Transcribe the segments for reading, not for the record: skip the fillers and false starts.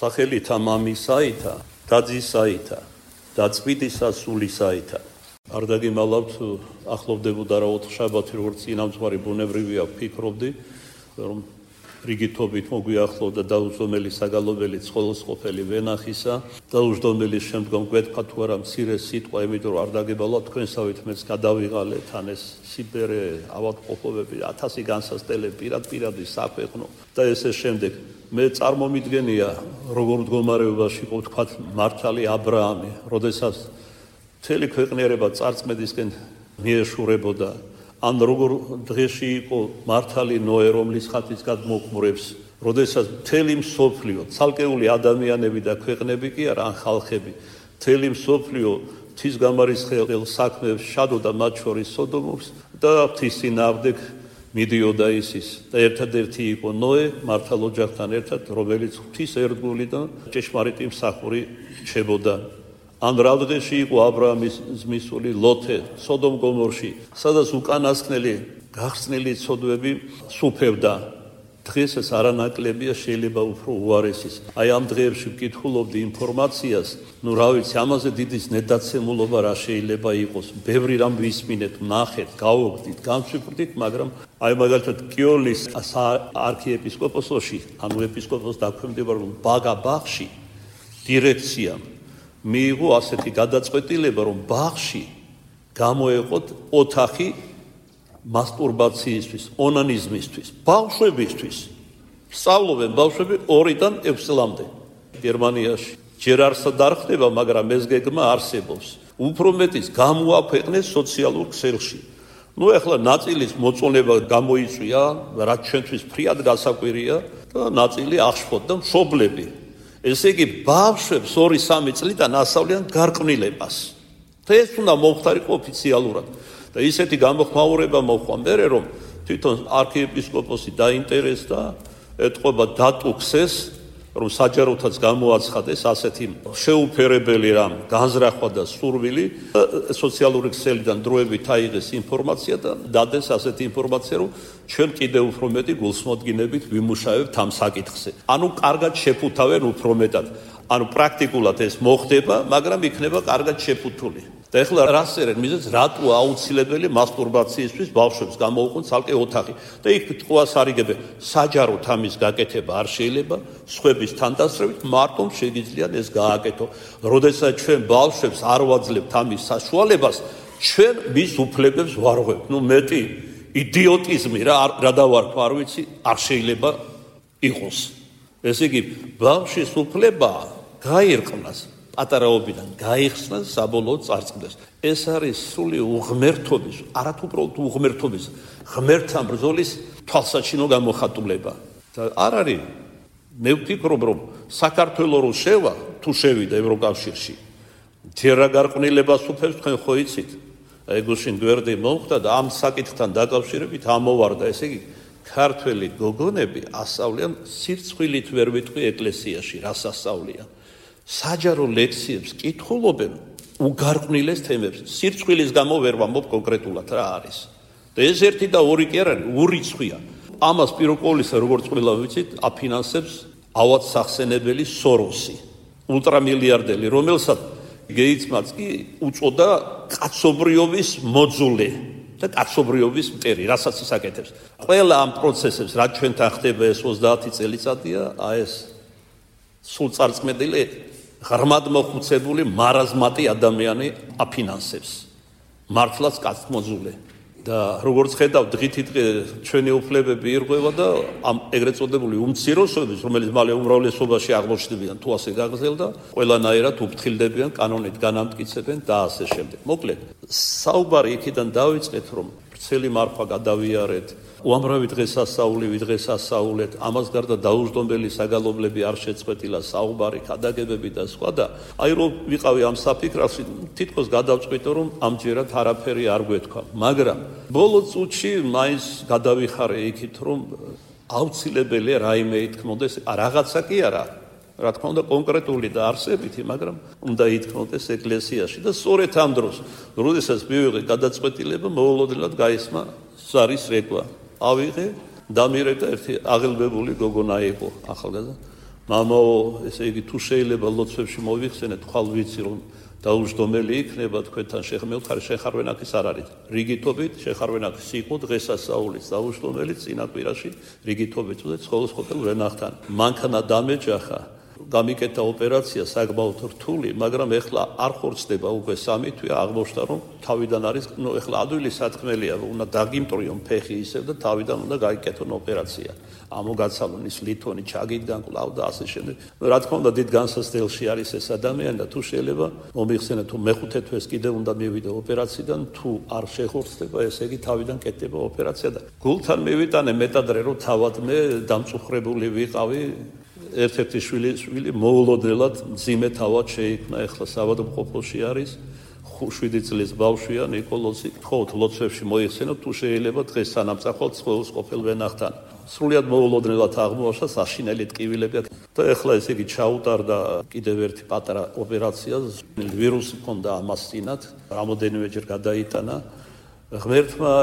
სახელითა მამისაითა, დაძისაითა, დაწყვიტისა სულისაითა. არ დაგიმალავთ, ახლოვდებოდა რა 4 შაბათი, როგორც წინამძღვარი ბუნებრივია ვფიქრობდი, რომ რიგითობით მოგვიახლოვდა დაუზომელი საგალობელი ცხოლოსყოფელი ვენახისა, დაუჯდომელის შემდგომ გვეთქვა თუ არა მცირე სიტყვა, იმიტომ რომ არ დაგებალავთ თქვენსავით მეც გადავიღალეთ ან ეს სიბერე ავადმყოფობები 1000 განსასწრებელი პირადპირადი საქვეყნო და ესე შემდეგ. მე წარმომიდგენია როგორ მდგომარეობაში იყო თქვა მართალი ა ブラ ამი, როდესაც მთელი ქვეყნიერება წარწმედისკენ მიეშურებოდა, ან როგორ დღეში იყო მართალი ნოე, რომლის ხატის გადმოხმურებს, როდესაც მთელი მსოფლიო, ცალკეული ადამიანები და ქვეყნები კი არა, ან ხალხები, მთელი მსოფლიო ღვთისგამარისხეულ საქმეებს შადოდა, მათ შორის სოდომობს და ღვთის წინააღმდეგ მიდიოდა ისის. და ერთადერთი იყო ნოე, მართალ ოჯახთან ერთად, რომელიც ღვთის ერთგული და ჭეშმარიტი მსახური რჩებოდა. ან რა დღეში იყო ა ブラ ამის ზმისული ლოთე სოდომ გომორში, სადაც უკანასკნელი გახსნილი ცოდვები სუფევდა. დღეს ეს არანაკლებია, შეიძლება უფრო უარესის. აი ამ დღეებში ვკითხულობდი ინფორმაციას, რა ვიცი, ამაზე დიდი ზნედაცემულობა რა შეიძლება იყოს. ბევრი რამ ვისმინეთ, ვნახეთ, გავოგდით, განვიფრდით, მაგრამ აი მაგალითად კიოლის არქიეპისკოპოსოში, ანუ ეპისკოპოს დაქვემდებარ ბაგა ბაღში დირექციამ მიიღო ასეთი გადაწყვეტილება, რომ ბაღში გამოეყოთ ოთახი მასტურბაციისთვის, ონანიზმისთვის, ბავშვებისთვის. სწავლობენ ბავშვები 2-დან 6 წლამდე. გერმანიაში ჯერ არ დარხდება, მაგრამ ეს გეგმა არსებობს. უფრო მეტიც გამოაქვეყნეს სოციალურ ქსელში. ეხლა ნაწილის მოწონება გამოიწვია, რაც ჩვენთვის ფრიად გასაკვირია და ნაწილი აღშფოთდა მშობლები. ესე იგი, ბავშვებს 2-3 წლიდან ასავლიან გარყვნილებას. და ეს უნდა მომხდარიყო ოფიციალურად. და ისეთი გამოხმაურება მოხდა მერე, რომ თვითონ არქიეპისკოპოსი დაინტერესდა, ეთყობა დატუქსეს, რომ საჯაროთაც გამოაცხადეს ასეთი შეუფერებელი რამ განზრახვა და სურვილი, სოციალური ქსელიდან დროებით აიღეს ინფორმაცია და დადეს ასეთი ინფორმაცია, რომ ჩვენ კიდევ უფრო მეტი გულსმოდგინებით ვიმუშავებთ ამ საკითხზე. ანუ კარგად შეფუთავენ უფრო მეტად. ანუ პრაქტიკულად ეს მოხდება, მაგრამ იქნება კარგად შეფუთული. და ეხლა რა წერენ მიზეზს, რატო აუცილებელი მასტურბაციისთვის ბავშვებს გამოუყონ ცალკე ოთახი. და იქ ტყვას არიგებენ, საჯაროდ ამის გაკეთება არ შეიძლება, სხვების თანდასწრებით მარტო შეგიძლიათ ეს გააკეთო. როდესაც ჩვენ ბავშვებს არ ვაძლევთ ამის საშუალებას, ჩვენ მის უფლებებს ვარღვევთ. მეტი იდიოტიზმი რა დავარქვა, არ ვიცი, არ შეიძლება იყოს. ესე იგი, ბავშვის უფლება გაირყვნას, პატარაობიდან გაიხსნას, საბოლოოდ წარწყდეს. ეს არის სრული უღმერთობის, არათუ უბრალოდ უღმერთობის, ღმერთთან ბრძოლის თვალსაჩინო გამოხატულება. და არ არის, მე ვფიქრობ, რომ საქართველო რო შევა, თუ შევიდა ევროკავშირში, ჯერა გარყვნილებას უფებს თქვენ ხო იცით? ეგუშინ გვერდი მომხდა და ამ საკითხთან დაკავშირებით ამოვარდა, ესე იგი, ქართველი გოგონები ასწავლიან სირცხვილით ვერ ვიტყვი ეკლესიაში, რას ასწავლიან. საჯარო ლექციებს კითხულობენ უგარყვნილეს თემებს. სირცხვილის გამო ვერ ვამბობ კონკრეტულად რა არის. და ეს ერთი და ორი კი არ არის, ურიცხვია. ამას პიროკოლისა, როგორც ყველა ვიცით, აფინანსებს ავად სახსენებელი სოროსი, ულტრამილიარდელი, რომელსაც გეიცმაც კი უწოდა კაცობრიობის მოძულე და კაცობრიობის მტერი, რასაც ის აკეთებს. ყველა ამ პროცესებს, რაც ჩვენთან ხდება ეს 30 წელიწადია, ეს სულ წარწმედილი ღრმად მოხუცებული მარაზმატი ადამიანი აფინანსებს. მართლაც კაცმოძულე. და როგორც ხედავ, დღითიდღე ჩვენი უფლებები ირღვევა და ამ ეგრეთ წოდებული უმცირესობების, რომელიც მალე უმრავლესობაში აღმოჩნდებიან, თუ ასე გაგრძელდა, ყველანაირად უფრთხილდებიან, კანონით განამტკიცებენ და ასე შემდეგ. მოკლედ, საუბარი იქიდან დავიწყეთ, რომ ვრცელი მარხვა გადავიარეთ, უამრავი დღესასწაული ვიდღესასწაულეთ, ამას გარდა დაუჯდომელი საგალობლები არ შეწყვეტილა, საუბარი, ქადაგებები და სხვა და აი რომ ვიყავი ამ საფიქრაში, თითქოს გადავწყვიტე, რომ ამჯერად არაფერი არ გვეთქვა. მაგრამ ბოლო წუთში მაინც გადავიხარე იქით, რომ აუცილებელია რაიმე ითქმოდეს, რაღაცა კი არა, რა თქმა უნდა კონკრეტული და არსებითი, მაგრამ უნდა ითქმოდეს ეკლესიაში და სწორედ ამ დროს, როდესაც მივიღე გადაწყვეტილება, მოულოდნელად გაისმა ზარის რეკვა. ავიღე, დამირეკა ერთი აღელვებული გოგონა იყო ახალგაზრდა. მამაო, ესე იგი თუ შეიძლება ლოცვებში მოიხსენეთ, ხვალ ვიცი რომ დაუჯდომელი იქნება თქვენთან მევთხარი შეხარვენაქის არ არის. რიგითობით შეხარვენაქის იყო დღესასწაულის დაუჯდომელი წინაპირაში რიგითობით და ცხოვრობელ ვენახთან. მანქანა დამეჯახა, გამიკეთა ოპერაცია საკმაოდ რთული, მაგრამ ეხლა არ ხორცდება უკვე 3 თვე აღმოჩნდა რომ თავიდან არის, ეხლა ადვილი სათქმელია, უნდა დაგიმტრიონ ფეხი ისევ და თავიდან უნდა გაიკეთონ ოპერაცია. ამოგაცალონ ის ლითონი ჩაგიდან კლავ და ასე შემდეგ. რა თქმა უნდა დიდ განსაცდელში არის ეს ადამიანი და თუ შეიძლება მომიხსენეთ თუ მეხუთე თვეს კიდევ უნდა მივიდე ოპერაციიდან, თუ არ შეხორცდება, ესე იგი თავიდან კეთდება ოპერაცია და გულთან მივიტანე მეტადრე რომ თავად მე დამწუხრებული ვიყავი. ერთ-ერთი შვილი მოულოდნელად მძიმე თავად შეიქმნა, ეხლა საავადმყოფოში არის 7 წლის ბავშვია ნიკოლოზი. თხოვთ ლოცვებში მოიხსენოთ თუ შეიძლება დღეს სანამწახვალ ცხოველს ყოფილ ვენახთან. სრულიად მოულოდნელად აღმოაჩნდა საშინელი ტკივილები და ეხლა ესე იგი ჩაუტარდა კიდევ ერთი პატარა ოპერაცია, ვირუსი ჰქონდა ამას წინათ, რამოდენიმეჯერ გადაიტანა. ღმერთმა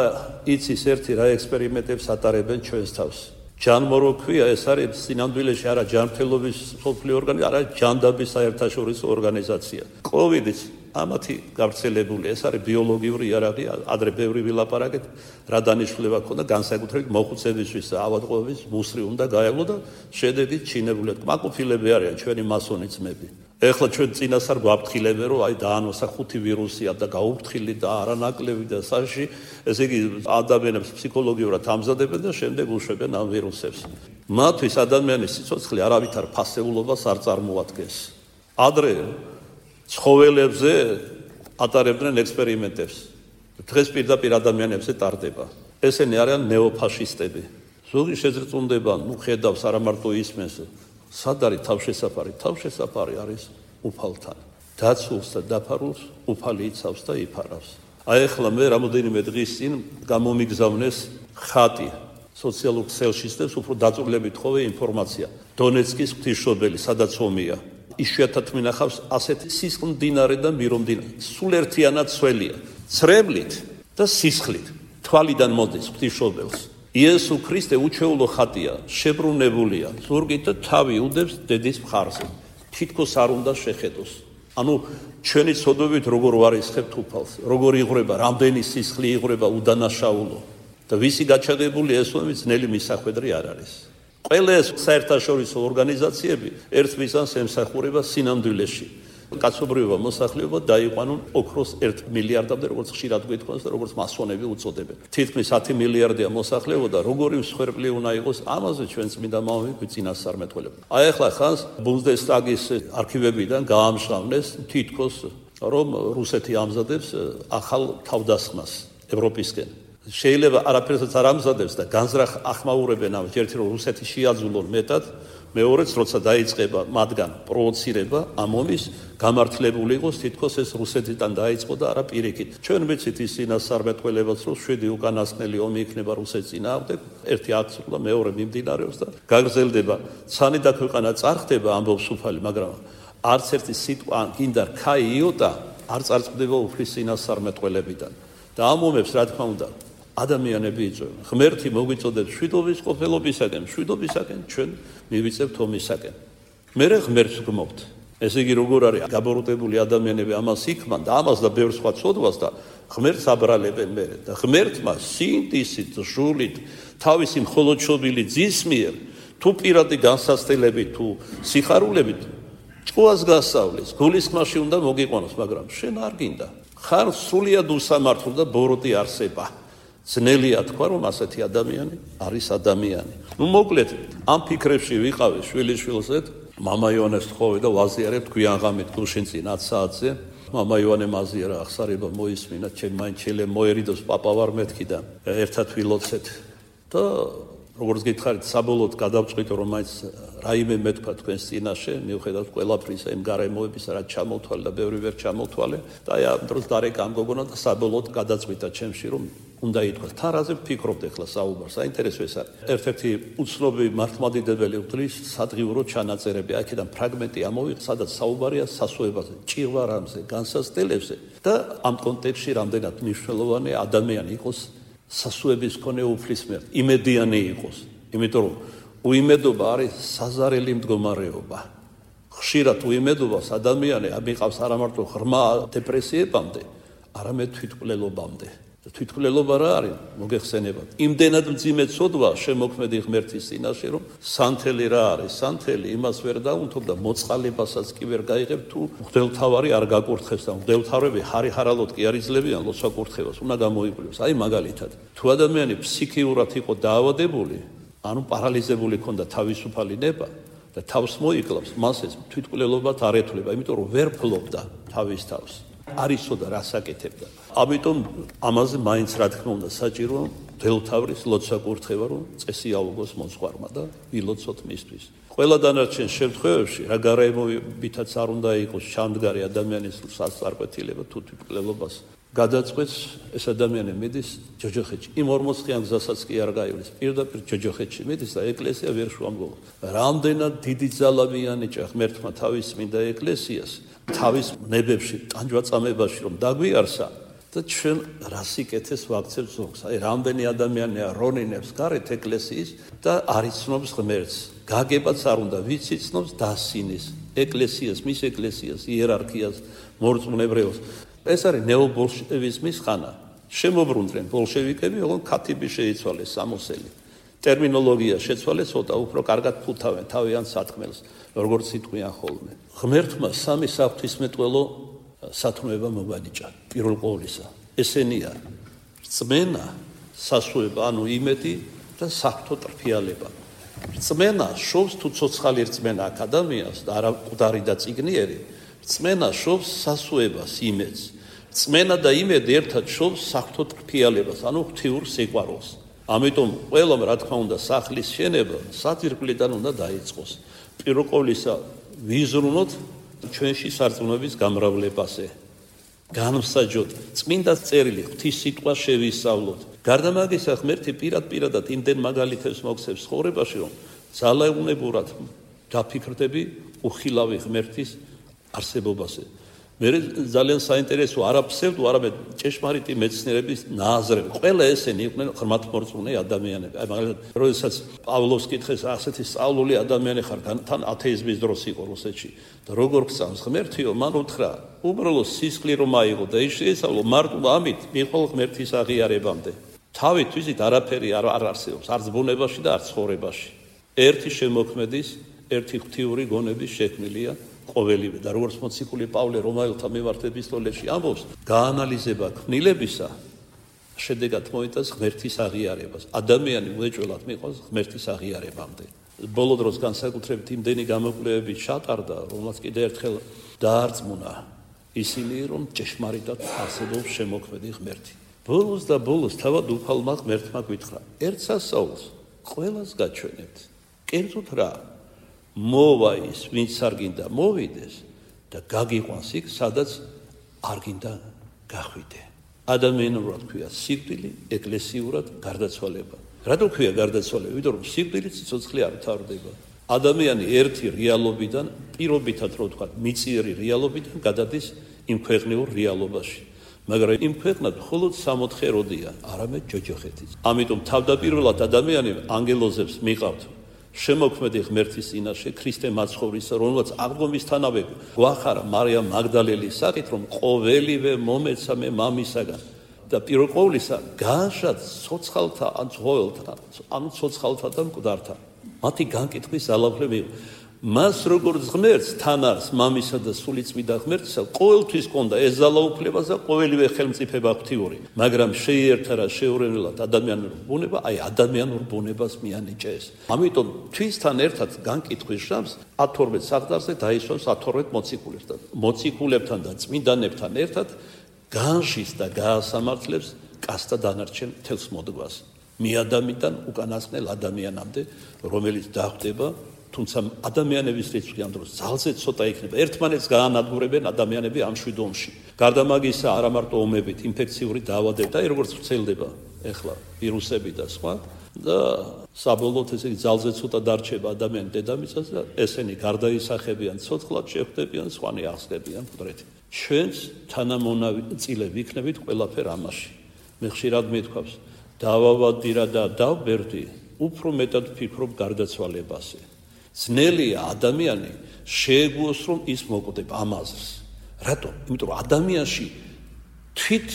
იცის ერთი რა ექსპერიმენტებს ატარებენ ჩვენს თავს. ჯანმოროქვია ეს არის სინამდვილეში არა ჯანმრთელობის სოფლიო ორგანიზაცია, არა ჯანდაბის საერთაშორისო ორგანიზაცია. კოვიდის ამათი გავრცელებული ეს არის ბიოლოგიური იარაღი, ადრე ბევრი ვილაპარაკეთ, რა დანიშნულება ქონდა განსაკუთრებით მოხუცებისთვის და ავადმყოფობის მუსრი უნდა გაევლო და შედეგი ჩინებულად კმაყოფილები არიან ჩვენი მასონი ძმები. ეხლა ჩვენ წინასწარ გვაფრთხილებენ რომ აი დაანოსა 5 ვირუსია და გაუფრთხილი და არანაკლები და საში, ესე იგი ადამიანებს ფსიქოლოგიურად ამზადებენ და შემდეგ უშვებენ ამ ვირუსებს. მათთვის ადამიანის სიცოცხლე არავითარ ფასეულობას არ წარმოადგენს. ადრე ცხოველებზე ატარებდნენ ექსპერიმენტებს. დღეს პირდაპირ ადამიანებზე ტარდება. ესენი არიან ნეოფაშისტები. ზოგი შეზრწუნდება, ხედავს არა მარტო ისმენს. სად არის თავშესაფარი? თავშესაფარი არის უფალთან. დაცულს და დაფარულს უფალი იცავს და იფარავს. აი ახლა მე რამოდენიმე დღის წინ გამომიგზავნეს ხატი სოციალურ ქსელში და უფრო დაწვრილებით ხოვე ინფორმაცია. დონეცკის ღვთისმშობელი, სადაც ომია. იშვიათად მინახავს ასეთი სისხლმდინარე და მირომდინარე. სულ ერთიანად სველია. ცრემლით და სისხლით. თვალიდან მოდის ღვთისმშობელს. იესო ქრისტე უჩვეულო ხატია, შებრუნებულია, ზურგით და თავი უდევს დედის მხარზე. თითქოს არ უნდა შეხედოს. ანუ ჩვენი ცოდვებით როგორ ვარისხებთ უფალს, როგორ იღვრება, რამდენი სისხლი იღვრება უდანაშაულო და ვისი გაჩაღებული ესონი ძნელი მისახვედრი არ არის. ყველა ეს საერთაშორისო ორგანიზაციები ერთ მიზანს ემსახურება სინამდვილეში. კაცობრიობა, მოსახლეობა დაიყვანონ ოქროს 1 მილიარდამდე, როგორც ხშირად გვითხოვს და როგორც მასონები უწოდებენ. თითქმის 10 მილიარდია მოსახლეობა და როგორი მსხვერპლი უნდა იყოს, ამაზე ჩვენ წმინდა მამები გვიწინასწარმეტყველებთ. აი ახლა ხანს ბუნდესტაგის არქივებიდან გაამშრავლეს თითქოს რომ რუსეთი ამზადებს ახალ თავდასხმას ევროპისკენ. შეიძლება არაფერსაც არ ამზადებს და განზრახ ახმაურებენ ამას, ერთი რომ რუსეთი შეაძულონ მეტად, მეორეც როცა დაიწყება მათგან პროვოცირება ამ ომის, გამართლებული იყოს თითქოს ეს რუსეთიდან დაიწყო და არა პირიქით. ჩვენ ვიცით ის წინასწარმეტყველებაც რომ 7 უკანასკნელი ომი იქნება რუსეთის წინააღმდეგ, ერთი აცრულა, მეორე მიმდინარეობს და გაგრძელდება. ცანი და ქვეყანა წარხდება ამბობს უფალი, მაგრამ არც ერთი სიტყვა გინდა რქა იოტა არ წარწყდება უფლის წინასწარმეტყველებიდან. და ამ ომებს რა თქმა უნდა ადამიანები იწვევენ. ღმერთი მოგვიწოდებს მშვიდობის ყოფილობისაკენ, მშვიდობისაკენ ჩვენ მივიწევთ ომისაკენ. მერე ღმერთს გმობთ. ესე იგი როგორ არის გაბოროტებული ადამიანები ამას იქმან და ამას და ბევრ სხვა ცოდვას და ღმერთს აბრალებენ მერე და ღმერთმა სინდისით, ჟულით, თავისი მხოლოდშობილი ძის მიერ თუ პირადი განსაცდელებით თუ სიხარულებით ჭკუას გასავლის, გულისხმაში უნდა მოგიყვანოს, მაგრამ შენ არ გინდა. ხარ სრულიად უსამართლო და ბოროტი არსება. ძნელია თქვა რომ ასეთი ადამიანი არის ადამიანი. ნუ მოკლედ ამ ფიქრებში ვიყავი შვილიშვილზე, მამა იონეს თხოვე და ვაზიარებ გვიან ღამით გუშინ წინ 10 საათზე. მამა იონე მაზიარა ახსარება მოისმინა, ჩემ მაინჩელე მოერიდოს პაპა ვარ მეთქი და ერთად ვილოცეთ. და როგორც გითხარით, საბოლოოდ გადავწყვიტე რომ მაინც რაიმე მეთქვა თქვენს წინაშე, მიუხედავად ყველაფრისა იმ გარემოებისა, რაც ჩამოვთვალე და ბევრი ვერ ჩამოვთვალე და აი ამ დროს დარეკა ამ გოგონა და საბოლოოდ გადაწყვიტა ჩემში რომ უნდა ითქვას. თან რაზე ვფიქრობთ ახლა საუბარს? საინტერესო ეს არის. ერთ-ერთი უცნობი მართლმადიდებელი ღვთის სადღიურო ჩანაწერები, აქედან ფრაგმენტი ამოვიღე, სადაც საუბარია სასუებაზე, ჭირვარამზე, განსაცდელებზე და ამ კონტექსტში რამდენად მნიშვნელოვანი ადამიანი იყოს სასუების მქონე უფლის მიერ, იმედიანი იყოს. იმიტომ რომ უიმედობა არის საზარელი მდგომარეობა. ხშირად უიმედობას ადამიანი ამიყავს არა მარტო ღრმა დეპრესიებამდე, არამედ თვითმკვლელობამდე. თვითმკვლელობა რა არის? მოგეხსენებათ. იმდენად მძიმე ცოდვა შემოქმედი ღმერთის წინაშე, რომ სანთელი რა არის? სანთელი იმას ვერ დაუნთობ და მოწყალებასაც კი ვერ გაიღებ, თუ მღვდელმთავარი არ გაკურთხებს და მღვდელმთავრები ხარიხარალოდ კი არ იძლევიან ლოცვა კურთხებას, უნდა გამოიკვლიოს. აი მაგალითად, თუ ადამიანი ფსიქიურად იყო დაავადებული, ანუ პარალიზებული ქონდა თავისუფალი ნება და თავს მოიკლავს, მას ეს თვითმკვლელობად არ ეთვლება, იმიტომ რომ ვერ ფლობდა თავის თავს. არ იცოდა რას აკეთებდა. ამიტომ ამაზე მაინც რა თქმა უნდა საჭირო მღვდელმთავრის ლოცვა კურთხევა, რომ წესი აუგოს მოძღვარმა და ილოცოთ მისთვის. ყველა დანარჩენ შემთხვევებში რა გარემოებითაც არ უნდა იყოს ჩამდგარი ადამიანის სასწარკვეთილება თუ თვითმკვლელობას გადაწყვეტს, ეს ადამიანი მიდის ჯოჯოხეთში. იმ 40-იან გზასაც კი არ გაივლის. პირდაპირ ჯოჯოხეთში მიდის და ეკლესია ვერ შუამგოვა. რამდენად დიდი ძალა მიანიჭა ღმერთმა თავის წმინდა ეკლესიას, თავის ნებებში, ტანჯვაწამებაში რომ დაგვიარსა და ჩვენ რა სიკეთეს ვაქცევთ ზოგს. აი რამდენი ადამიანია რონინებს გარეთ ეკლესიის და არ იცნობს ღმერთს. გაგებაც არ უნდა, ვიც იცნობს დასინის ეკლესიას, მის ეკლესიას, იერარქიას, მორწმუნებრეოს. ეს არის ნეობოლშევიზმის ხანა. შემოbrunდნენ ბოლშევიკები, ოღონდ ქათიბი შეიცვალეს სამოსელი. ტერმინოლოგია შეცვალეს, ცოტა უფრო კარგად ფუთავენ თავიანთ სათქმელს, როგორც იტყვიან ხოლმე. ღმერთმა სამი საღვთისმეტყველო სათნოება მოგვანიჭა. პირველ ყოვლისა, ესენია რწმენა, სასუება, ანუ იმედი და საფრთხო ტრფიალება. რწმენა შობს თუ ცოცხალი რწმენა აქ ადამიანს და არა მკვდარი და წიგნიერი. რწმენა შობს სასუებას, იმედს. რწმენა და იმედი ერთად შობს საფრთხო ტრფიალებას, ანუ ღვთიურ სიყვარულს. ამიტომ ყველამ რა თქმა უნდა სახლის შენება საძირკვლიდან უნდა დაიწყოს. პირველ ყოვლისა ვიზრუნოთ ჩვენში სარწმუნოების გამრავლებაზე. განვსაჯოთ წმინდა წერილი ღვთის სიტყვა შევისწავლოთ. გარდა მაგისა ღმერთი პირადად იმდენ მაგალითებს მოგცემს ცხოვრებაში, რომ ძალაუნებურად დაფიქრდები უხილავი ღმერთის არსებობაზე. მე ძალიან საინტერესო არა ფსევდო, არამედ ჭეშმარიტი მეცნიერების ნააზრები. ყველა ესენი იყვნენ ღრმათმორწმუნე ადამიანები. აი მაგალითად, როდესაც პავლოს კითხეს, ასეთი სწავლული ადამიანი ხარ, თან ათეიზმის დროს იყო რუსეთში და როგორ გწამს ღმერთიო, მან უთხრა, უბრალოდ სისხლი რომ აიღო და ის შეესწავლო, მარტო ამით მიყოლ ღმერთის აღიარებამდე. თავით ვიზით არაფერი არ არსებობს, არც ბუნებაში და არც ცხოვრებაში. ერთი შემოქმედის, ერთი ღვთიური გონების შექმნილია ყოველივე და როგორც მოციქული პავლე რომაელთა მიმართ ეპისტოლეში ამბობს, გაანალიზება ქმნილებისა შედეგად მოიტანს ღმერთის აღიარებას. ადამიანი უეჭველად მიყვანს ღმერთის აღიარებამდე. ბოლო დროს განსაკუთრებით იმდენი გამოკვლევები ჩატარდა, რომელსაც კიდევ ერთხელ დაარწმუნა ისინი, რომ ჭეშმარიტად არსებობს შემოქმედი ღმერთი. ბოლოს და ბოლოს თავად უფალმა ღმერთმა გითხრა, ერთ სასაულს ყველას გაჩვენებთ. კერძოდ რა? მოვა ის, ვინც არ გინდა მოვიდეს და გაგიყვანს იქ, სადაც არ გინდა გახვიდე. ადამიანურად ქვია სიკვდილი, ეკლესიურად გარდაცვალება. რატო ქვია გარდაცვალება? იმიტომ რომ სიკვდილით სიცოცხლე არ თავდება. ადამიანი ერთი რეალობიდან, პირობითად რო ვთქვა, მიწიერი რეალობიდან გადადის იმ ქვეყნიურ რეალობაში. მაგრამ იმ ქვეყნად მხოლოდ 64 როდია, არამედ ჯოჯოხეთიც. ამიტომ თავდაპირველად ადამიანი ანგელოზებს მიყავთ შემოქმედი ღმერთის წინაშე ქრისტე მაცხოვრისა, რომელსაც აღდგომისთანავე გვახარა მარიამ მაგდალელის სახით, რომ ყოველივე მომეცა მე მამისაგან და პირველ ყოვლისა განშად ცოცხალთა ან ცხოველთა, ანუ ცოცხალთა და მკვდართა. მათი განკითხვის ძალაუფლება იყო. მას როგორც ღმერთს თან არის მამისა და სულიწმიდა ღმერთისა, ყოველთვის ჰქონდა ეს ძალაუფლება და ყოველივე ხელმწიფება ღვთიური. მაგრამ შეიერთა რა შეურენელად ადამიანურ ბუნება, აი ადამიანურ ბუნებას მიანიჭეს. ამიტომ თვისთან ერთად განკითხვის ჟამს 12 საღდარზე დაისვამს 12 მოციქულებს და მოციქულებთან და წმინდანებთან ერთად განშის და გაასამართლებს კაცთა დანარჩენ მთელს მოდგას. მიადამიდან უკანასკნელ ადამიანამდე, რომელიც დახვდება, თუმცა ადამიანების რიცხვი ამ დროს ძალზე ცოტა იქნება. ერთმანეთს გაანადგურებენ ადამიანები ამ შვიდ ომში. გარდა მაგისა, არა მარტო ომებით, ინფექციური დაავადებები და როგორც ვრცელდება ეხლა ვირუსები და სხვა და საბოლოოდ ესე იგი ძალზე ცოტა დარჩება ადამიანი დედამიწაზე და ესენი გარდაისახებიან, ცოცხლად შეხვდებიან, სხვანი აღსდებიან მკვდრეთი. ჩვენც თანამონაწილე ვიქნებით ყველაფერ ამაში. მე ხშირად მithქვავს, დავავადდი რა და დავბერდი უფრო მეტად ვფიქრობ გარდაცვალებაზე. ძნელია ადამიანი შეეგუოს, რომ ის მოკვდება ამ აზრს. რატომ? იმიტომ რომ ადამიანში თვით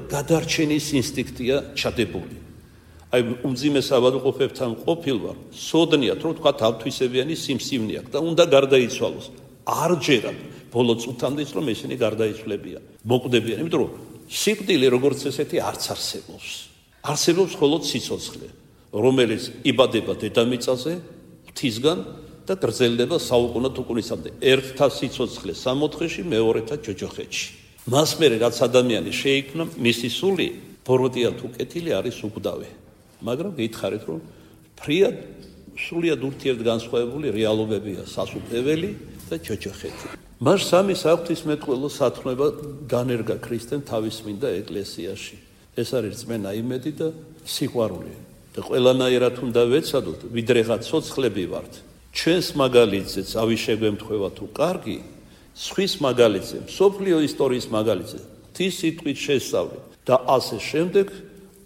გადარჩენის ინსტინქტია ჩადებული. აი უმძიმე საბადოყოფებთან ყოფილვარ, სოდნიათ რომ თქვა თავთვისებიანი სიმსივნე აქვს და უნდა გარდაიცვალოს. არ ჯერათ ბოლო წუთამდე ის რომ ესენი გარდაიცვლებიან, მოკვდებიან, იმიტომ რომ სიკვდილი როგორც ესეთი არც არსებობს. არსებობს მხოლოდ სიცოცხლე, რომელიც იბადება დედამიწაზე, ღვთისგან და გრძელდება საუკუნო თუკუნისამდე. ერთთა სიცოცხლე 64-ში, მეორეთა ჯოჯოხეთში. მას მერე რაც ადამიანი შეიქმნა, მისი სული ბოროტია თუ კეთილი არის უკვდავი. მაგრამ გითხარით რომ ფრიად სულიად ურთიერთგანსხვავებული რეალობებია სასუფეველი და ჯოჯოხეთი. მას სამი საღვთისმეტყველო სათნოება განერგა ქრისტემ თავის წმინდა ეკლესიაში. ეს არის რწმენა, იმედი და სიყვარული. და ყველანაირად უნდა ვეცადოთ, ვიდრეღა ცოცხლები ვართ. ჩვენს მაგალითზეც ავიშეგვემთხვევა თუ კარგი, სხვის მაგალითზე, მსოფლიო ისტორიის მაგალითზე, ღვთის სიტყვით შესწავლით და ასე შემდეგ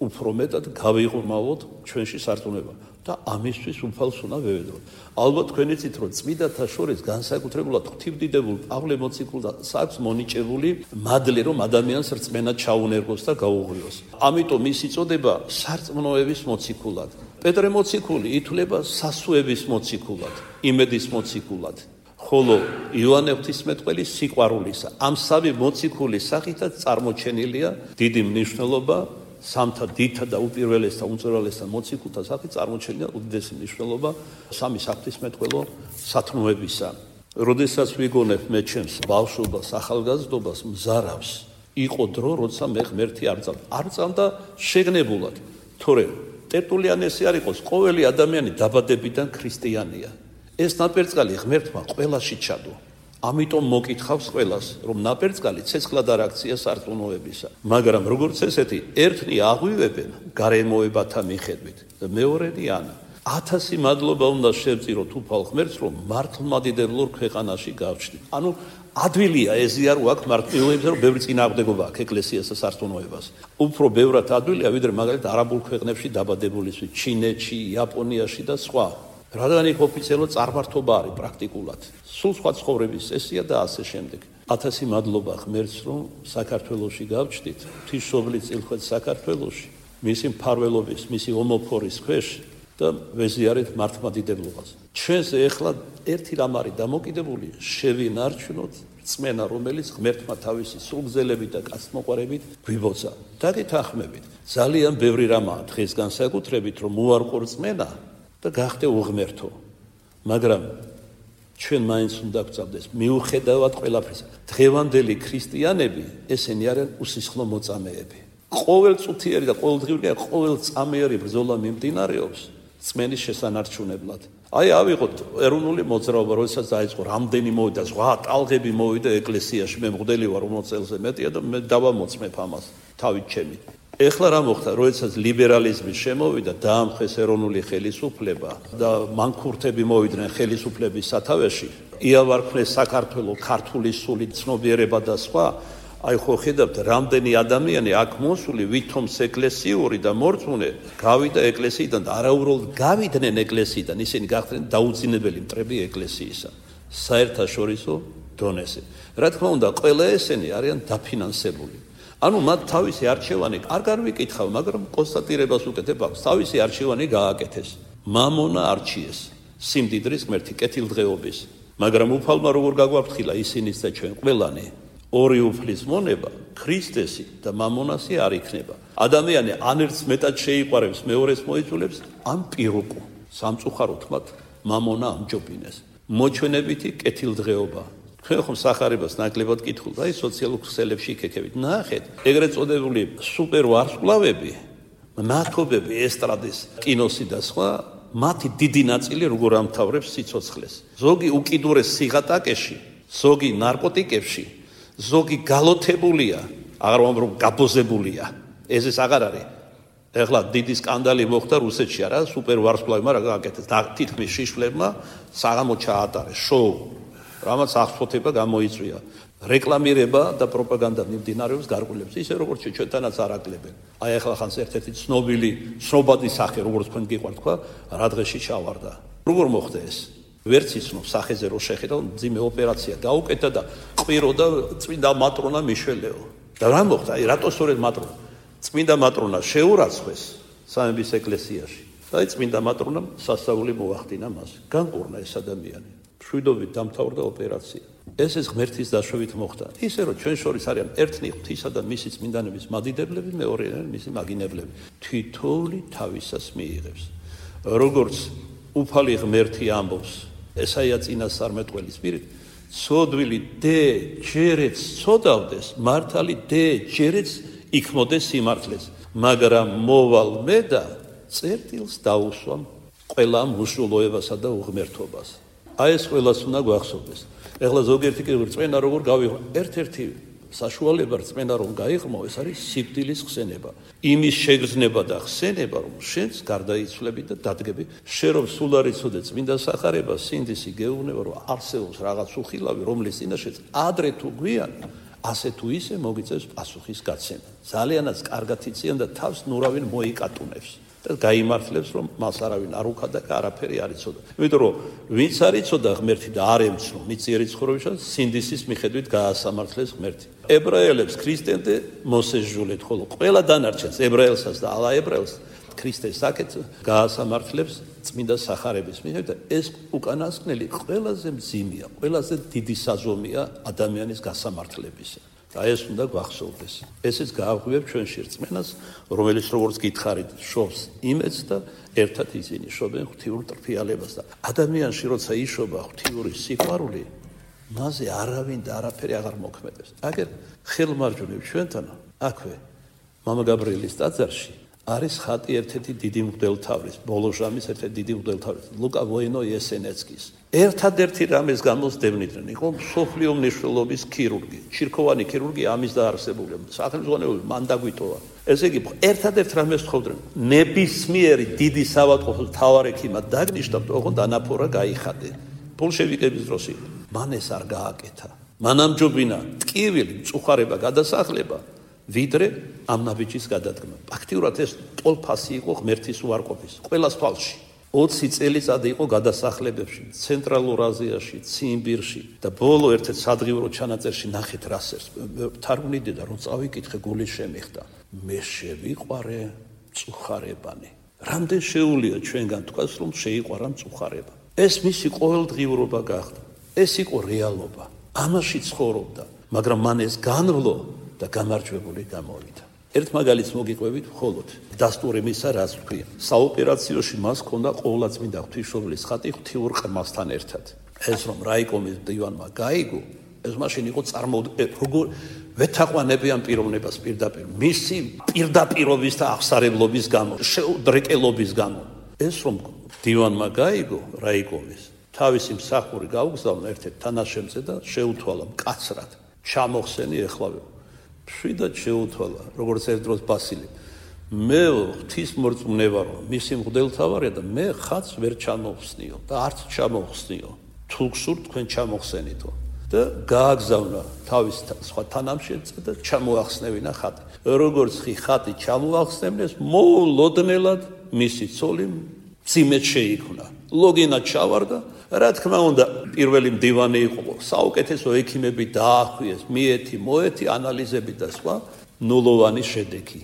უფრო მეტად გავიღრმავოთ ჩვენში სარწმუნება და ამისთვის უფალს უნდა ვევედროთ. ალბათ თქვენ იცით, რომ წმინდათა შორის განსაკუთრებულად ღვთივდიდებულ პავლე მოციქულს აქვს მონიჭებული მადლი, რომ ადამიანს რწმენა ჩაუნერგოს და გაუღვიოს. ამიტომ ის იწოდება სარწმუნოების მოციქულად. პეტრე მოციქული ითვლება სასუების მოციქულად, იმედის მოციქულად. ხოლო იოანე ღვთისმეტყველი სიყვარულისა. ამ სამი მოციქულის სახითაც წარმოჩენილია დიდი მნიშვნელობა სამთა დიდთა და უპირველესთა უმწვერვალესთა მოციქულთა სახით წარმოჩენილია უდიდესი მნიშვნელობა სამი საღვთისმეტყველო სათნოებისა. როდესაც ვიგონებ მე ჩემს ბავშვობას, ახალგაზრდობას, მზარავს, იყო დრო, როცა მე ღმერთი არ წამდა შეგნებულად. თორემ ტერტულიანე ესე არ იყოს, ყოველი ადამიანი დაბადებიდან ქრისტიანია. ეს ნაპერწკალი ღმერთმა ყველაში ჩადო. ამიტომ მოკითხავს ყველას, რომ ნაპერწკალი ცეცხლად არ აქცია სარწმუნოებისა. მაგრამ როგორც ესეთი, ერთნი აღვივებენ გარემოებათა მიხედვით და მეორენი ანა. 1000 მადლობა უნდა შევწიროთ უფალ ღმერთს, რომ მართლმადიდებლურ ქვეყანაში გავჩნდით. ანუ ადვილია ეზია რო აქ მართლმადიდებლებზე, რომ ბევრი წინააღმდეგობა აქვს ეკლესიასა სარწმუნოებას. უფრო ბევრად ადვილია, ვიდრე მაგალითად არაბულ ქვეყნებში დაბადებულისთვის, ჩინეთში, იაპონიაში და სხვა. რადგან იქ ოფიციალურად წარმართობა არის პრაქტიკულად. სულ სხვა ცხოვრების წესია და ასე შემდეგ. 1000 მადლობა ღმერთს, რომ საქართველოში გავჩნდით, ღვთისმშობლის წილხვეც საქართველოში, მისი მფარველობის, მისი ომოფორის ქვეშ და ვეზიარეთ მართლმადიდებლობას. ჩვენს ეხლა ერთი რამ არის დამოკიდებული, შევინარჩუნოთ რწმენა, რომელიც ღმერთმა თავისი სულგზელებით და კაცმოყვარებით გვიბოცა. დაგეთანხმებით, ძალიან ბევრი რამაა დღეს განსაკუთრებით, რომ უარყო რწმენა და გახდე უღმერთო. მაგრამ ჩვენ მაინც უნდა გვწავდეს მიუხედავად ყველაფრისა. დღევანდელი ქრისტიანები ესენი არიან უსისხლო მოწამეები. ყოველ წუთიერი და ყოველდღიური და ყოველ წამიერი ბრძოლა მიმდინარეობს რწმენის შესანარჩუნებლად. აი ავიღოთ ეროვნული მოძრაობა, როდესაც დაიწყო, რამდენი მოვიდა, ზღვა ტალღები მოვიდა ეკლესიაში, მე მღვდელი ვარ 50 წელზე მეტია და მე დავამოწმებ ამას თავით ჩემი. ეხლა რა მოხდა, როდესაც ლიბერალიზმი შემოვიდა, დაამხეს ეროვნული ხელისუფლება და მანქურთები მოვიდნენ ხელისუფლების სათავეში, იავარქმნეს საქართველოს ქართული სული ცნობიერება და სხვა. აი ხო ხედავთ, რამდენი ადამიანი აქ მოსული, ვითომს ეკლესიური და მორწმუნე გავიდა ეკლესიიდან და არაუბრალოდ გავიდნენ ეკლესიიდან, ისინი გახდნენ დაუძინებელი მტრები ეკლესიისა საერთაშორისო დონეზე. რა თქმა უნდა, ყველა ესენი არიან დაფინანსებული. ანუ მათ თავისი არჩევანი არ განვიკითხავ, მაგრამ კონსტატირებას უკეთებ აქვს. თავისი არჩევანი გააკეთეს. მამონა არჩიეს სიმდიდრის ღმერთი კეთილდღეობის. მაგრამ უფალმა როგორ გაგვაფრთხილა ისინიც და ჩვენ ყველანი, ორი უფლის მონება, ქრისტესი და მამონასი არ იქნება. ადამიანი ან ერთს მეტად შეიყვარებს, მეორეს მოიწულებს, ან პირუკუ. სამწუხაროდ მათ მამონა ამჯობინეს. მოჩვენებითი კეთილდღეობა. ჩვენ ხომ სახარებას ნაკლებად კითხულობთ, აი სოციალურ ქსელებში იქექებით. ნახეთ, ეგრეთ წოდებული სუპერ ვარსკვლავები, ნათობები ესტრადის, კინოსი და სხვა, მათი დიდი ნაწილი როგორ ამთავრებს სიცოცხლეს. ზოგი უკიდურეს სიღატაკეში, ზოგი ნარკოტიკებში, ზოგი გალოთებულია, აღარ ვამბობ გაბოზებულია. ეს აღარ არის. ეხლა დიდი სკანდალი მოხდა რუსეთში, არა, სუპერ ვარსკვლავებმა რა გააკეთეს? თითქმის შიშლებმა საღამო ჩაატარეს შოუ. რამაც აღსვოთება გამოიწვია. რეკლამირება და პროპაგანდა მიმდინარეობს გარყულებს, ისე როგორც ჩვენთანაც არაკლებენ. აი ახლა ხანს ერთ-ერთი ცნობილი ცნობადი სახე, როგორც თქვენ გიყვართ თქვა, რა დღეში ჩავარდა. როგორ მოხდა ეს? ვერც იცნობს სახეზე რო შეხედა, მძიმე ოპერაცია გაუკეთა და ყვირო და წმინდა მატრონა მიშველეო. და რა მოხდა? აი რატო სწორედ მატრონა? წმინდა მატრონა შეურაცხეს სამების ეკლესიაში. და აი წმინდა მატრონამ სასწაული მოახდინა მას. განკურნა ეს ადამიანი. მშვიდობით დამთავრდა ოპერაცია. ეს ღმერთის დაშვებით მოხდა. ისე რომ ჩვენ შორის არიან ერთნი ღვთისა და მისი წმინდანების მადიდებლები, მეორე მისი მაგინებლები. თითოეული თავისას მიიღებს. როგორც უფალი ღმერთი ამბობს, ესაია წინასწარმეტყველის პირით, ცოდვილი დე ჯერეც ცოდავდეს, მართალი დე ჯერეც იქმოდეს სიმართლეს, მაგრამ მოვალ მე და წერტილს დაუსვამ ყველა მუსულოებასა და უღმერთობას. აი ეს ყველას უნდა გვახსოვდეს. ეხლა ზოგიერთი კი რწმენა როგორ გავიღო, ერთ-ერთი საშუალება რწმენა რომ გაიღმო, ეს არის სიკვდილის ხსენება. იმის შეგრძნება და ხსენება, რომ შენს გარდაიცვლები და დადგები, შენ რომ სულ არ იცოდე წმინდა სახარება, სინდისი გეუბნება, რომ არსებობს რაღაც უხილავი, რომლის წინაშეც ადრე თუ გვიან, ასე თუ ისე მოგიწევს პასუხის გაცემა. ძალიანაც კარგად იციან და თავს ნურავინ მოიკატუნებს. და გაიმართლებს რომ მას არავინ არ უხადა და არაფერი არ იცოდა. იმიტომ რომ ვინც არ იცოდა ღმერთი და არ ემცნო მიწიერი ცხოვრებისას სინდისის მიხედვით გაასამართლეს ღმერთი. ებრაელებს ქრისტემდე მოსეჟულეთ, ხოლო ყველა დანარჩენს ებრაელსაც და ალაებრაელს ქრისტეს საკეთ გაასამართლებს წმინდა სახარების მიხედვით და ეს უკანასკნელი ყველაზე მძიმეა, ყველაზე დიდი საზომია ადამიანის გასამართლებისა. და ეს უნდა გვახსოვდეს. ესეც გააღვივებ ჩვენში რწმენას, რომელიც როგორც გითხარით, შობს იმედს და ერთად ისინი შობენ ღვთიურ ტრფიალებას და ადამიანში როცა იშობა ღვთიური სიყვარული, მასზე არავინ და არაფერი აღარ მოქმედებს. აგერ ხელმარჯვნივ ჩვენთან აქვე მამა გაბრიელის ტაძარში არის ხატი ერთ-ერთი დიდი მღვდელთავრის, ბოლოჟამის ერთ-ერთი დიდი მღვდელთავრის, ლუკა ვოინო-იესენეცკის. ერთადერთი რამეს გამოსდევნიდნენ, იყო მსოფლიო მნიშვნელობის ქირურგი, ჩირქოვანი ქირურგი ამის დაარსებული, სახელმწიფო მან დაგვიტოვა. ესე იგი, ერთადერთ რამეს თხოვდნენ, ნებისმიერი დიდი საავადმყოფოს მთავარ ექიმად დაგნიშნავ, ოღონდ ანაფორა გაიხადე. ბოლშევიკების დროს იყო. მან ეს არ გააკეთა. მან ამჯობინა ტკივილი, მწუხარება, გადასახლება, ვიდრე ამ ნაბიჯის გადადგმა. ფაქტიურად ეს ტოლფასი იყო ღმერთის უარყოფის, ყველას თვალში. 20 წელიწადი იყო გადასახლებებში, ცენტრალურ აზიაში, ციმბირში და ბოლო ერთ-ერთ სადღიურო ჩანაწერში ნახეთ რასერს. თარგმნიდი და რომ წავიკითხე, გული შემეხდა. მე შევიყვარე მწუხარებანი. რამდენ შეუულია ჩვენგან თქვას, რომ შეიყვარა მწუხარება. ეს მისი ყოველდღიურობა გახდა. ეს იყო რეალობა. ამაში ცხოვრობდა, მაგრამ მან ეს განვლო და გამარჯვებული გამოვიდა. ერთ მაგალითს მოგიყვებით მხოლოდ დასტური მისა რაც ვქვია. საოპერაციოში მას ჰქონდა ყოვლადწმინდა ღვთისმშობლის ხატი ღვთიურ ყრმასთან ერთად. ეს რომ რაიკომის დივანმა გაიგო, ეს მაშინ იყო როგორ ვეთაყვანებიან პიროვნებას პირდაპირ. მისი პირდაპირობის და აღსარებლობის გამო, შეუდრეკელობის გამო. ეს რომ დივანმა გაიგო რაიკომის, თავისი მსახური გაუგზავნა ერთ-ერთ თანაშემწე და შეუთვალა მკაცრად. ჩამოხსენი ეხლავე. შვიდად შეუთვალა, როგორც ერთ დროს ბასილი. მე ღვთის მორწმუნე ვარ, მისი მღვდელთავარია და მე ხატს ვერ ჩამოვხსნიო და არც ჩამოვხსნიო. თუ გსურთ თქვენ ჩამოვხსენითო. და გააგზავნა თავის სხვა თანამშრომლებს და ჩამოახსნევინა ხატი. როგორც ხატი ჩამოახსნეს, მოულოდნელად მისი ცოლი მძიმედ შეიქმნა. ლოგინა ჩავარდა. რა თქმა უნდა, პირველი მდივანი იყო, საუკეთესო ექიმები დაახვიეს, მიეთი, მოეთი, ანალიზები და სხვა, ნულოვანი შედეგი.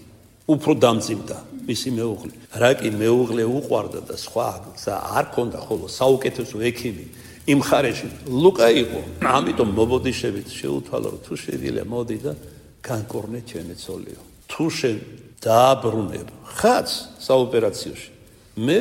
უფრო დამძიმდა მისი მეუღლე. რა კი მეუღლე უყვარდა და სხვა გზა არ ქონდა, ხოლო საუკეთესო ექიმი იმ ხარეში ლუკა იყო. ამიტომ მობოდიშებით შეუთვალა, რომ თუ შეგიძლია მოდი და განკორნე ჩემი ცოლიო. თუ შენ დააბრუნებ ხატს საოპერაციაში, მე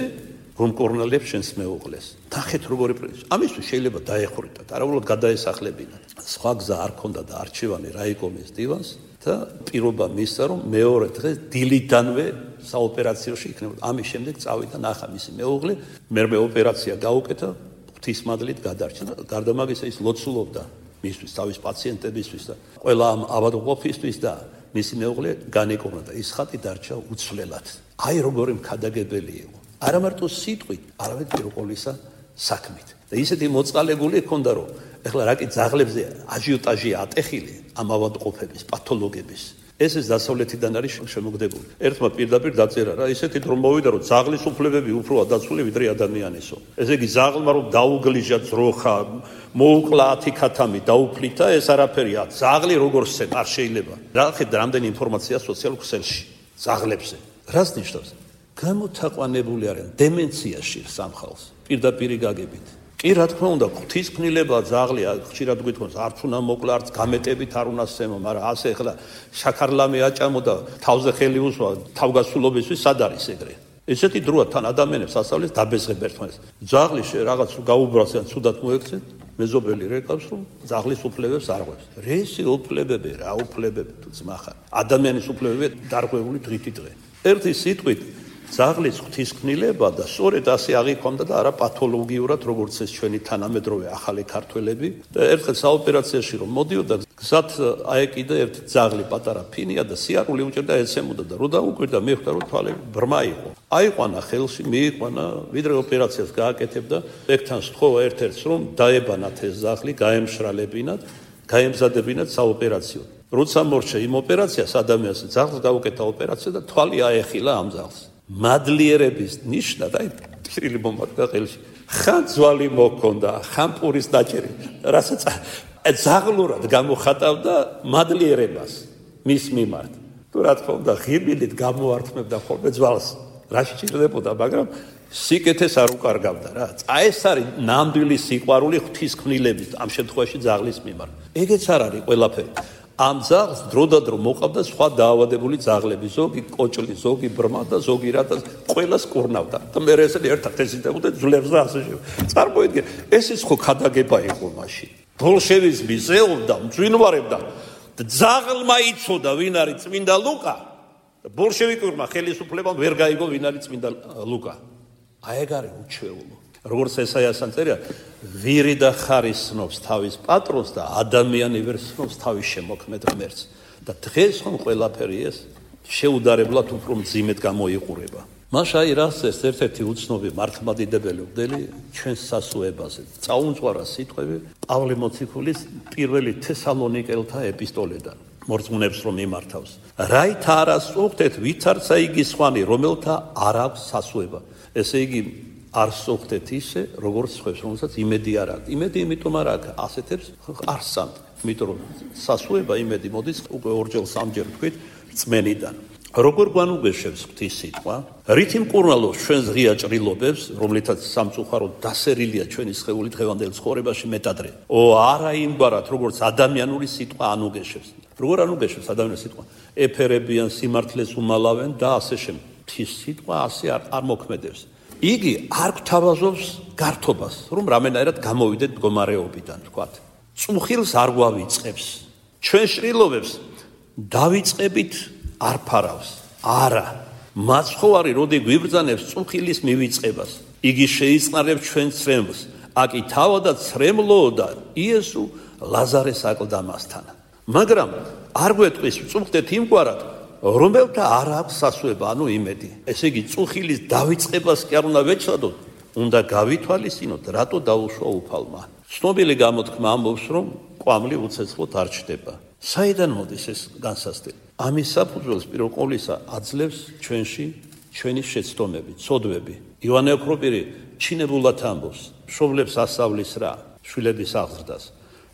რომ კორნელებს შენს მეუღლეს. ნახეთ როგორი პრინციპი. ამისთვის შეიძლება დაეხურიტათ, არაულად გადაესახლებინათ. სხვა გზა არ ქონდა და არჩევანი რაიკომის დივანს და პირობა მისცა, რომ მეორე დღეს დილიდანვე საოპერაციაში იქნებოდა. ამის შემდეგ წავიდა ნახა მისი მეუღლე, მერმე ოპერაცია გაუკეთა, ღვთისმადლით გადარჩა. გარდა მაგისა ის ლოცულობდა მისთვის, თავის პაციენტებისთვის და ყველა ამ ავადმყოფისთვის და მისი მეუღლე განეკორნა და ის ხატი დარჩა უცვლელად. აი როგორი მქადაგებელი იყო. არა მარტო სიტყვით, არამედ პირველ ყოვლისა საქმით. და ისეთი მოწყალებული ჰქონდა, რომ ეხლა რა კი ძაღლებზე აჟიოტაჟია ატეხილი ამ ავადმყოფების, პათოლოგების. ეს დასავლეთიდან არის შემოგდებული. ერთმა პირდაპირ დაწერა რა, ისეთი დრო მოვიდა, რომ ძაღლის უფლებები უფროა დაცული ვიდრე ადამიანისო. ესე იგი ძაღლმა რომ დაუგლიჟა ძროხა, მოუკლა 10 ქათამი, დაუფლითა, ეს არაფერია. ძაღლი როგორც არ შეიძლება. რა ხედავთ რამდენი ინფორმაცია სოციალურ ქსელში ძაღლებზე. რას ნიშნავს? გამოთაყვანებული არიან დემენციაში სამხალხს. პირდაპირი გაგებით. კი რა თქმა უნდა, ღვთისმფრინელება ძაღლი ხშირად გვითხოვს, არც უნდა მოკლა, არც გამეტებით არ უნდა სცემო, მაგრამ ასე ახლა შაქარლამი აჭამო და თავზე ხელი უსვა თავგასულობისთვის სად არის ეგრე? ესეთი დროა თან ადამიანებს ასავლეს დაბეზღებ ერთმანეთს. ძაღლი რაღაც გაუბრალს ან ცუდად მოექცეთ, მეზობელი რეკავს, რომ ძაღლის უფლებებს არღვევს. რესი უფლებები, რა უფლებები თუ ძმახარ. ადამიანის უფლებები დარღვეული დღითი დღე. ერთი სიტყვით ძაღლის ღვთისმფრინელება და სწორედ ასე აღიქვამდა და არა პათოლოგიურად, როგორც ეს ჩვენი თანამედროვე ახალი ქართველები. და ერთხელ საოპერაციაში რომ მოდიოდა, გზად აეკიდა ერთი ძაღლი პატარა ფინია და სიარული უჭერდა ეცემოდა და რო დაუკვირდა, მეხვდა რომ თვალები ბრმა იყო. აიყვანა ხელში, მიიყვანა, ვიდრე ოპერაციას გააკეთებდა, ეგთან სთხოვა ერთ-ერთს რომ დაებანათ ეს ძაღლი, გაემშრალებინათ, გაემზადებინათ საოპერაციო. როცა მორჩა იმ ოპერაციას ადამიანს ძაღლს გაუკეთა ოპერაცია და თვალი აეხილა ამ ძაღლს. მადლიერების ნიშნად, აი, პირილი მომართა ხელში. ხან ძვალი მოქონდა, ხან პურის დაჭერი, რასაც ძაღლურად გამოხატავდა მადლიერებას მის მიმართ. თუ რა თქმა უნდა, ღირბილით გამოართმევდა ხოლმე ძვალს, რა სჭირდებოდა, მაგრამ სიკეთეს არ უკარგავდა რა. ეს არის ნამდვილი სიყვარული ღვთისმფრინელების ამ შემთხვევაში ძაღლის მიმართ. ეგეც არ არის ყველაფერი. ამ ძაღლს დროდადრო მოყავდა სხვა დაავადებული ძაღლები, ზოგი კოჭლი, ზოგი ბრმა და ზოგი რატას ყველას კურნავდა. და მე ესე ერთად ეზიდებოდა ძვლებს და ასე შემდეგ. წარმოიდგინე, ეს ის ხო ქადაგება იყო მაშინ. ბოლშევიზმი ზეობდა, მძვინვარებდა. ძაღლმა იცოდა ვინ არის წმინდა ლუკა. ბოლშევიკურმა ხელისუფლებამ ვერ გაიგო ვინ არის წმინდა ლუკა. აი ეგ არის უჩვეულო. როგორც ესაიასთან წერია, ვირი და ხარი სნობს თავის პატრონს და ადამიანი ვერ სნობს თავის შემოქმედ ღმერთს. და დღეს ხომ ყველაფერი ეს შეუდარებლად უფრო მძიმედ გამოიყურება. მაშ აი რას ეს ერთ-ერთი უცნობი მართლმადიდებელი მღვდელი ჩვენს სასუებაზე წაუმწვარა სიტყვები პავლე მოციქულის პირველი თესალონიკელთა ეპისტოლედან. მორწმუნეებს რომ მიმართავს. რაით არ ასწუხდეთ ვითარცა იგი სხვანი, რომელთა არ აქვს სასუება. ესე იგი არ სწუხდეთ ისე, როგორც სხვებს, რომელსაც იმედი არ აქვს. იმედი იმიტომ არ აქვს, ასეთებს არ სცამთ. იმიტომ რომ სასუება იმედი მოდის უკვე ორჯერ სამჯერ თქვით რწმენიდან. როგორ გვანუგეშებს ღვთის სიტყვა? რითი მკურნალობს ჩვენს ღია ჭრილობებს, რომლითაც სამწუხაროდ დასერილია ჩვენი სხეული დღევანდელ ცხოვრებაში მეტადრე. არა იმგვარად, როგორც ადამიანური სიტყვა ანუგეშებს. როგორ ანუგეშებს ადამიანური სიტყვა? ეფერებიან, სიმართლეს უმალავენ და ასე შემდეგ. ღვთის სიტყვა ასე არ მოქმედებს. იგი არ გვთავაზობს გართობას, რომ რამენაირად გამოვიდეთ მდგომარეობიდან, თქვათ. წუხილს არ გვავიწყებს. ჩვენ შრილობებს დავიწყებით არ ფარავს. არა. მაცხოვარი როდი გვიბრძანებს წუხილის მივიწყებას. იგი შეიწყნარებს ჩვენ ცრემლს. აკი თავადაც ცრემლოოდა იესო ლაზარეს აკლდამასთან. მაგრამ არ გვეტყვის წუხდეთ იმგვარად, რომელთა არ აქვს სასუება, ანუ იმედი. ესე იგი წუხილის დავიწყებას კი არ უნდა ვეჩადოთ, უნდა გავითვალისწინოთ, რატო დაუშვა უფალმა. ცნობილი გამოთქმა ამბობს, რომ ყვამლი უცეცხლოდ არ ჩდება. საიდან მოდის ეს განსასწრები? ამის საფუძველს პირველ ყოვლისა აძლევს ჩვენში ჩვენი შეცდომები, ცოდვები. იოანე ოქროპირი ჩინებულად ამბობს, მშობლებს ასავლის რა, შვილების აღზრდას.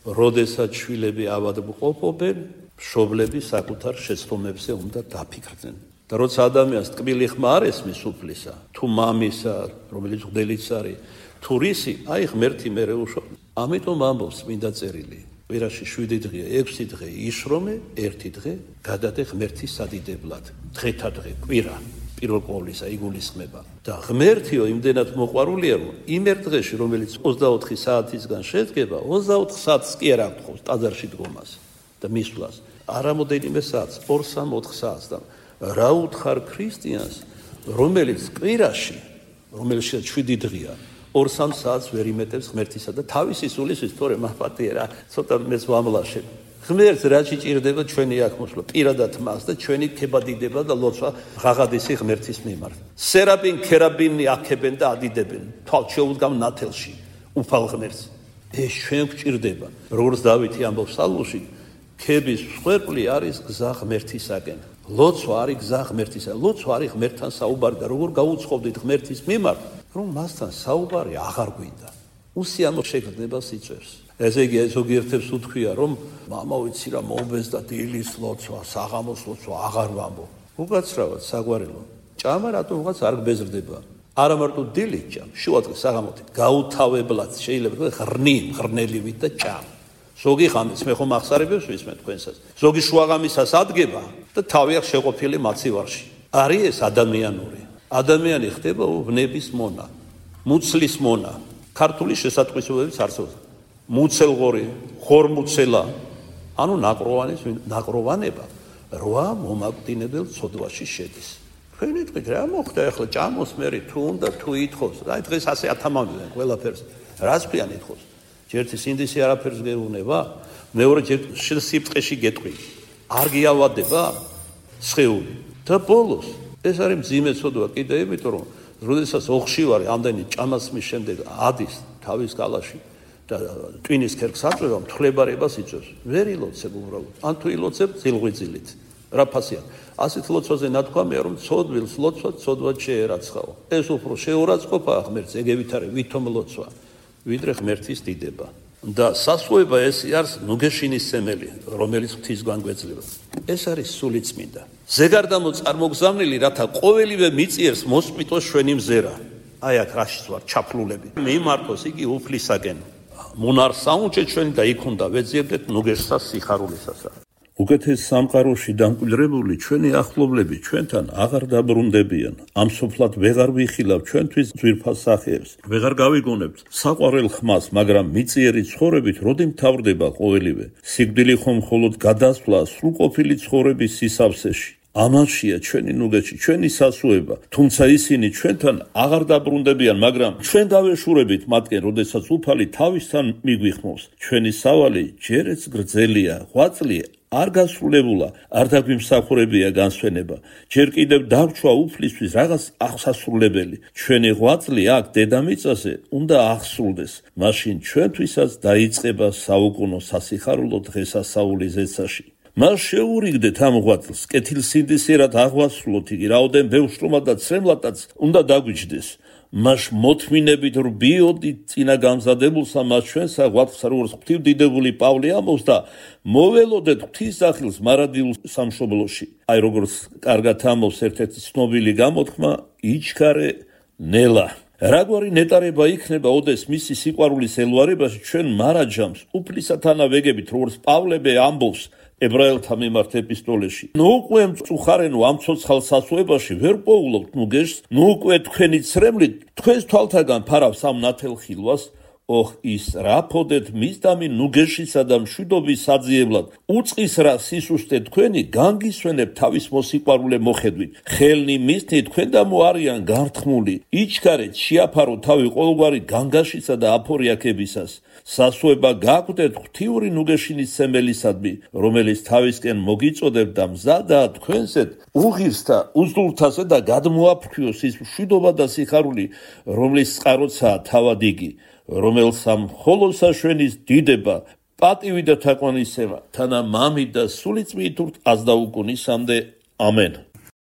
როდესაც შვილები ავადმყოფობენ, მშობლები საკუთარ შეცდომებზე უნდა დაფიქრდნენ. და როცა ადამიანს ტკბილი ხმა არ ესმის უფლისა, თუ მამისა, რომელიც მღვდელიც არის, თუ რისი, აი ღმერთი მერე უშვა. ამიტომ ამბობს წმინდა წერილი. კვირაში 7 დღეა, 6 დღე იშრომე, 1 დღე გადადე ღმერთის სადიდებლად. დღეთა დღე, კვირა, პირველ ყოვლისა იგულისხმება. და ღმერთიო იმდენად მოყვარულია, რომ იმ ერთ დღეში, რომელიც 24 საათისგან შედგება, 24 საათს კი არ აღთხოვს ტაძარში დგომას და მისვლას. არამოდენიმე საათს, 2-3-4 საათს და რა უთხარ ქრისტიანს, რომელიც კვირაში, რომელშიც 7 დღეა, 2-3 საათს ვერ იმეტებს ღმერთისა და თავისი სულისთვის, თორე მახპატია რა, ცოტა მეც ვამლაშებ. ღმერთს რა შეჭირდება ჩვენი აქ მოსვლა, პირადად მას და ჩვენი ქებადიდება და ლოცვა ღაღადისი ღმერთის მიმართ. სერაპინ, ქერაბინი აქებენ და ადიდებენ, თვალ შეუდგამ ნათელში, უფალ ღმერთს. ეს ჩვენ გვჭირდება. როგორც დავითი ამბობს პსალმში, ქების მსხვერპლი არის გზა ღმერთისაკენ. ლოცვა არის გზა ღმერთისაკენ. ლოცვა არის ღმერთთან საუბარი და როგორ გაუცხოვდით ღმერთის მიმართ, რომ მასთან საუბარი აღარ გვინდა. უსიამო შეგრძნება სიწვევს. ესე იგი, ზოგიერთებს უთქვია, რომ მამა ვიცი რა მომბეს და დილის ლოცვა, საღამოს ლოცვა აღარ ვამბობ. უკაცრავად საგვარელო. ჭამა რატომ ვიღაც არ გბეზრდება? არა მარტო დილით ჭამ, შუადღე საღამოთი გაუთავებლად შეიძლება თქვა ღრნელივით და ჭამ. ზოგი ხამის მე ხომ ახსარებებს ვისმენ თქვენსაც. ზოგი შუაღამისას ადგება და თავი აქვს შეყოფილი მაცივარში. არის ეს ადამიანური. ადამიანი ხდება ვნების მონა, მუცლის მონა. ქართული შესატყვისებებიც არსებობს. მუცელღორი, ხორმუცელა, ანუ ნაკროვანება რვა მომაკვდინებელ ცოდვაში შედის. თქვენი თქვით რა მოხდა ახლა ჭამოს მერი თუ უნდა თუ ითხოვს. აი დღეს ასე ათამამდნენ ყველაფერს. რას ქვიან ითხოვს? ერთი სინდისი არაფერს გეუბნება, მეორე სიფტყეში გეტყვი. არ გიავადება სხეული. და ბოლოს ეს არის მძიმე ცოდვა კიდე იმიტომ რომ როდესაც ოხშივარი ამდენი ჭამასმის შემდეგ ადის თავის კალაში და ტვინის ქერქს აწვევა, მთხრებარებას იწვევს. ვერ ილოცებ უბრალოდ. ან თუ ილოცებ ძილღვიძილით. რა ფასია? ასეთ ლოცვაზე ნათქვამია რომ ცოდვილს ლოცვა ცოდვად შეერაცხაო. ეს უფრო შეურაცხყოფა ღმერთს ეგევით არის ვითომ ლოცვა. ვიდრე ღმერთის დიდება და სასუება ეს არის ნუგეშინის სემელი, რომელიც ღვთისგან გვეძლება. ეს არის სულიწმინდა. ზეგარდამო წარმოგზავნილი, რათა ყოველივე მიწიერს მოსწყვიტოს ჩვენი მზერა. აი აქ რაშიც ვარ ჩაფლულები. მიმართოს იგი უფლისაკენ. მონარს საუნჯე ჩვენი და იქ უნდა ვეძიებდეთ ნუგეშსა სიხარულისასა. უკეთეს სამყაროში დამკვიდრებული ჩვენი ახლობლები ჩვენთან აღარ დაბრუნდებიან. ამ სოფლად ვეღარ ვიხილავ ჩვენთვის ძვირფას სახეებს. ვეღარ გავიგონებთ საყვარელ ხმას, მაგრამ მიწიერი ცხოვრებით როდი მთავრდება ყოველივე. სიკვდილი ხომ მხოლოდ გადასვლა სრულყოფილი ცხოვრების სისავსეში. ამაშია ჩვენი ნუგეში, ჩვენი სასუება. თუმცა ისინი ჩვენთან აღარ დაბრუნდებიან, მაგრამ ჩვენ გავეშურებით მათგან, როდესაც უფალი თავისთან მიგვიხმობს. ჩვენი სავალი ჯერეც გრძელია, ღვაწლი არ გასრულებულა, არ დაგვიმსახურებია განსვენება. ჯერ კიდევ დავრჩვა უფლისთვის რაღაც აღსასრულებელი. ჩვენი ღვაწლი აქ დედამიწაზე უნდა აღსრულდეს. მაშინ ჩვენთვისაც დაიწყება საუკუნო სასიხარულო დღესასწაული ზეცაში. მას შეურიგდეთ ამ ღვაწლს, კეთილსინდისიერად აღვასრულოთ იგი, რაოდენ ბევრშრომად და ცრემლადაც უნდა დაგვიჯდეს. მას მოთმინებით რბიოდით წინა გამზადებულსა მას ჩვენსა ღვაწლსა, როგორც ღვთივდიდებული პავლე ამბობს და მოველოდეთ ღვთისახილს მარადილ სამშობლოში. აი როგორც კარგად ამბობს ერთ-ერთი ცნობილი გამოთქმა, იჩქარე ნელა. რაგვარი ნეტარება იქნება ოდეს მისი სიყვარულის ელვარებაში ჩვენ მარაჯამს უფლისათანა ვეგებით, როგორც პავლე ამბობს ებრაელთა მიმართ ეპისტოლეში. ნუ უკვე მწუხარენო ამ ცოცხალ სასუებაში ვერ პოულობთ ნუგეშს, ნუ უკვე თქვენი ცრემლით თქვენს თვალთაგან ფარავს ამ ნათელ ხილვას. ოხ ის რაფოდეთ მისდამი ნუგეშისა და მშვიდობის საძიებლად. უწყის რა სისუსტე თქვენი განგისვენებ თავის მოსიყვარულე მოხედვით. ხელნი მისთნი თქვენ და მოარიან გართხმული. იჩქარეთ შეაფარო თავი ყოველგვარი განგაშისა და აფორიაქებისას. სასუება გაგვდეთ ღვთიური ნუგეშინის სემელისადმი, რომელიც თავისკენ მოგიწოდებ და მზადაა თქვენსეთ უღირსთა უზდურთასე და გადმოაფრქვიოს ის მშვიდობა და სიხარული, რომლის წყაროცაა თავად იგი, რომელსა მხოლოდ საშვენის დიდება, პატივი და თაყვანისცემა, თანა მამით და სულიწმით აზდაუკუნისამდე. ამენ.